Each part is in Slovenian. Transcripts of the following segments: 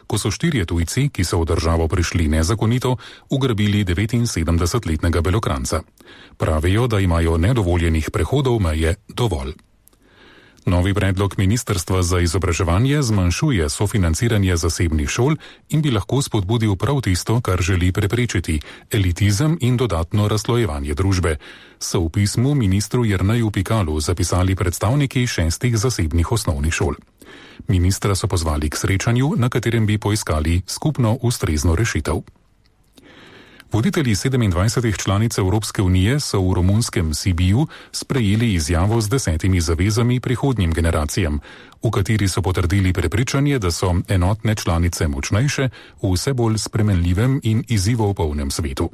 ko so 4 tujci, ki so v državo prišli nezakonito, ugrabili 79-letnega Belokranca. Pravijo, da imajo nedovoljenih prehodov meje dovolj. Novi predlog Ministrstva za izobraževanje zmanjšuje sofinanciranje zasebnih šol in bi lahko spodbudil prav tisto, kar želi preprečiti – elitizem in dodatno razslojevanje družbe, so v pismu ministru Jerneju Pikalu zapisali predstavniki 6 zasebnih osnovnih šol. Ministra so pozvali k srečanju, na katerem bi poiskali skupno ustrezno rešitev. Voditelji 27 članic Evropske unije so v romunskem Sibiu sprejeli izjavo z 10 zavezami prihodnjim generacijam, v kateri so potrdili prepričanje, da so enotne članice močnejše v vse bolj spremenljivem in izzivov polnem svetu.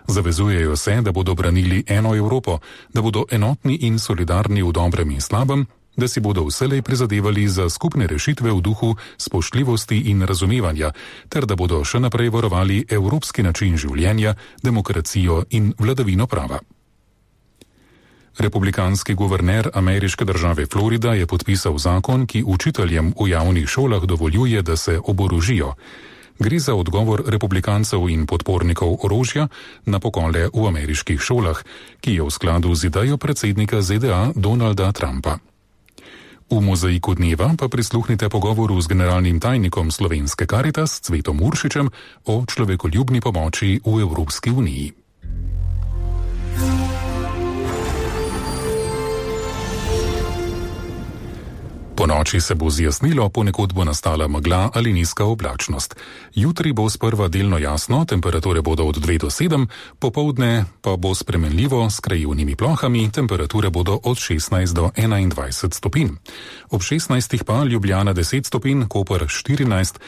Zavezujejo se, da bodo branili eno Evropo, da bodo enotni in solidarni v dobrem in slabem, da si bodo vselej prizadevali za skupne rešitve v duhu spoštljivosti in razumevanja, ter da bodo še naprej varovali evropski način življenja, demokracijo in vladavino prava. Republikanski guverner ameriške države Florida je podpisal zakon, ki učiteljem v javnih šolah dovoljuje, da se oborožijo. Gre za odgovor republikancev in podpornikov orožja na pokole v ameriških šolah, ki je v skladu z idejo predsednika ZDA Donalda Trumpa. V mozaiku dneva pa prisluhnite pogovoru z generalnim tajnikom slovenske Karitas Cvetom Uršičem o človekoljubni pomoči v Evropski uniji. Po noči se bo zjasnilo, ponekod bo nastala megla ali nizka oblačnost. Jutri bo sprva delno jasno, temperature bodo od 2 do 7, popoldne pa bo spremenljivo s krajevnimi plohami, temperature bodo od 16 do 21 stopinj. Ob 16 pa Ljubljana 10 stopinj, Koper 14,